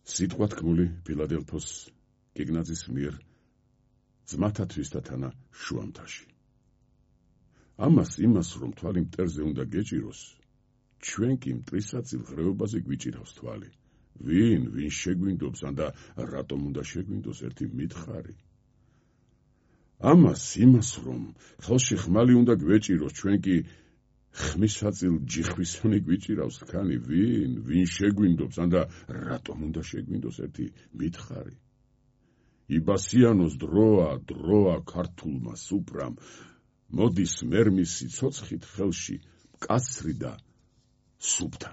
სიტყვა თქმული ფილადელფოს გეგნაძის მიერ ძმათათვის და თანა შუამთაში. ამას იმას, რომ თვალი მტერზე უნდა გეჭიროს, ჩვენ კი მტრისაწილ ღრეობაზე გვიჭირავს თვალი. ვინ შეგვინდობს და რატომ უნდა შეგვინდოს ერთი მითხარი. ამას იმას, რომ ხელში ხმალი უნდა გვეჭიროს, ჩვენ კი ხმისაწილ ჯიხვისონი გვიჭირავს თხანი. ვინ შეგვინდობს და რატომ უნდა შეგვინდოს ერთი მითხარი. იბასიანოს დროა ქართულმა სუპრამ, მოდის მერმის სიცოცხლით ხელში მკაცრი და სუფთა.